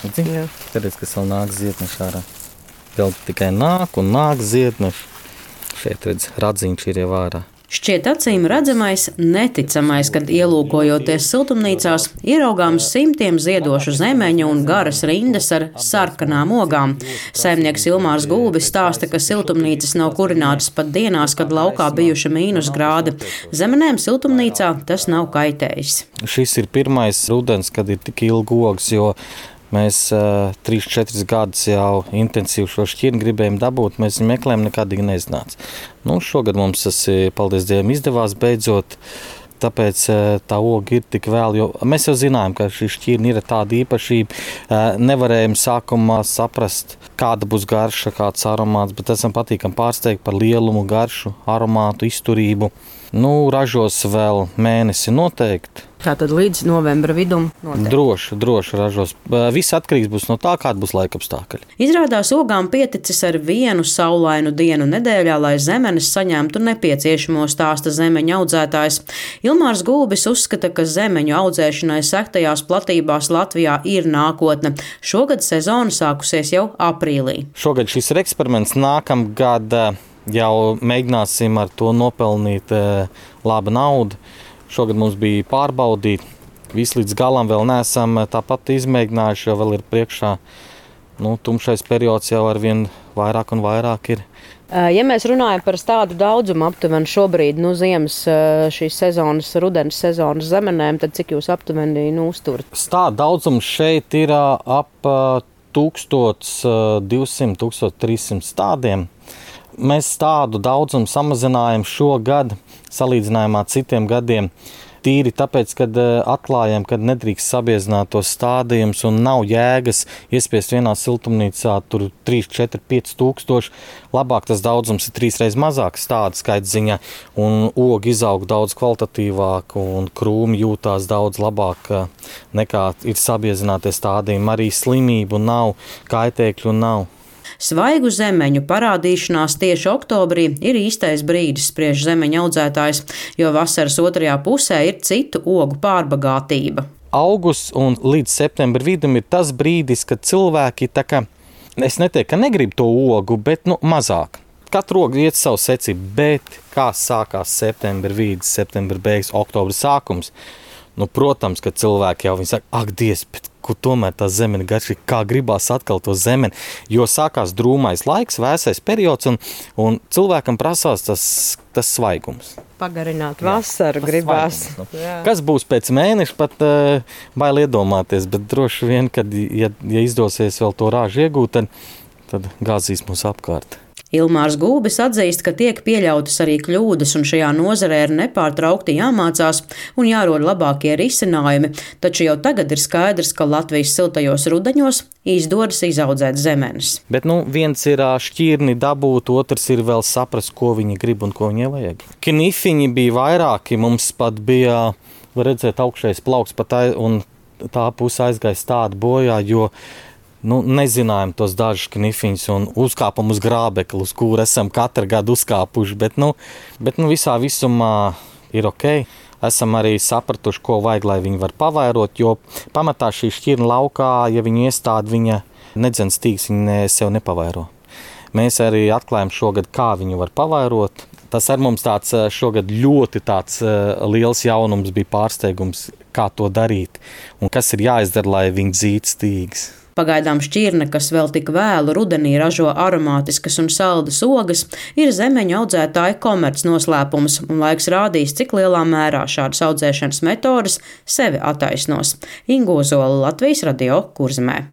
Zini, redz, kas vēl nāk ziedneši ārā. Vēl tikai nāk un nāk ziedneši. Šeit redz, radziņš ir jau ārā. Šķiet acīm redzamais, neticamais, kad ielūkojoties siltumnīcās, ieraugām simtiem ziedošu zemeņu un garas rindas ar sarkanām ogām. Saimnieks Ilmārs Gulbis stāsta, ka siltumnīcas nav kurinātas pat dienās, kad laukā bijuši -grādi. Zemenēm siltumnīcā tas nav kaitējis. Šis ir pirmais rudens, kad ir tik ilgi ogas, jo mēs 3-4 gadus jau intensīvi šo šķirni gribējām dabūt, mēs viņu meklējām, nekādīgi neiznāca. Šogad mums tas, paldies Dievam, izdevās beidzot, tāpēc tā oga ir tik vēl, jo mēs jau zinājām, ka šī šķirni ir tāda īpašība. Nevarējām sākumā saprast, kāda būs garša, kāds aromāts, bet esam patīkami pārsteigti par lielumu, garšu, aromātu, izturību. Ražos vēl mēnesi noteikti. Tātad līdz novembra vidum noteikti. Droši ražos. Viss atkarīgs būs no tā, kāda būs laikapstākļi. Izrādās ogām pieticis ar vienu saulainu dienu nedēļā, lai zemenes saņemtu nepieciešamo, stāsta zemeņu audzētājs. Ilmārs Gulbis uzskata, ka zemeņu audzēšanai sektajās platībās Latvijā ir nākotne. Šogad sezona sākusies jau aprīlī. Šogad šis ir eksperiments, nākamgad jau mēģināsim ar to nopelnīt labu naudu. Šogad mums bija pārbaudīt, visu līdz galam vēl neesam tāpat izmēģinājuši, jo vēl ir priekšā. Tumšais periods jau arvien vairāk un vairāk ir. Ja mēs runājam par tādu daudzumu aptuveni šobrīd, ziemas šīs sezonas, rudens sezonas zemenēm, tad cik jūs aptuveni uzturat? Stādu daudzums šeit ir ap 1200-1300 stādiem. Mēs tādu daudzumu samazinājām šogad, salīdzinājumā ar citiem gadiem. Tīri tāpēc, kad atklājām, ka nedrīkst sabiezināt tos stādījumus un nav jēgas iespiest vienā siltumnīcā tur 3, 4, 5 tūkstoši. Labāk tas daudzums ir 3 reizes mazāks stādu skaita ziņā, un ogi izaug daudz kvalitatīvāk un krūmi jūtās daudz labāk nekā ir sabiezinātie stādījumi. Arī slimību nav, kaitēkļu nav. Svaigu zemeņu parādīšanās tieši oktobrī ir īstais brīdis, spriež zemeņu audzētājs, jo vasaras otrajā pusē ir citu ogu pārbagātība. Augusts un līdz septembra vidum ir tas brīdis, kad cilvēki es neteiktu, ka negrib to ogu, bet mazāk. Katru ogu iet savu secību, bet kā sākās septembra vidus, septembra beigas, oktobra sākums, protams, ka cilvēki jau saka, ak, Dievs, bet kur tomēr tā zemene garšīgi, kā gribās atkal to zemeni, jo sākās drūmais laiks, vēsais periods, un cilvēkam prasās tas svaigums. Pagarināt vasaru gribās. Kas būs pēc mēneša, pat bail iedomāties, bet droši vien, kad, ja izdosies vēl to rāžu iegūt, tad gāzīs mūs apkārt. Ilmārs Gulbis atzīst, ka tiek pieļautas arī kļūdas, un šajā nozarē ir nepārtraukti jāmācās un jārod labākie risinājumi, taču jau tagad ir skaidrs, ka Latvijas siltajos rudeņos izdodas izaudzēt zemenes. Bet viens ir šķirni dabūt, otrs ir vēl saprast, ko viņi grib un ko viņai vajag. Knifiņi bija vairāki, mums pat bija, var redzēt, augšējais plauks pat un tā puse aizgāja stāda bojā, jo nezinājām tos dažus knifiņus un uzkāpam uz grābekli, uz kuru esam katru gadu uzkāpuši, bet visā visumā ir ok. Esam arī sapratuši, ko vajag, lai viņi var pavairot, jo pamatā šī šķirna laukā, ja viņu iestāda, viņa nedzen stīgs, viņa sev nepavairo. Mēs arī atklājam šogad, kā viņu var pavairot. Tas ar mums šogad ļoti liels jaunums bija pārsteigums, kā to darīt un kas ir jāizdara, lai viņi dzītu stīgs. Pagaidām šķirne, kas vēl tik vēlu rudenī ražo aromātiskas un saldas ogas, ir zemeņu audzētāju komerc noslēpums, un laiks rādīs, cik lielā mērā šādas audzēšanas metodes sevi attaisnos. Inga Ozola, Latvijas Radio, Kurzemē.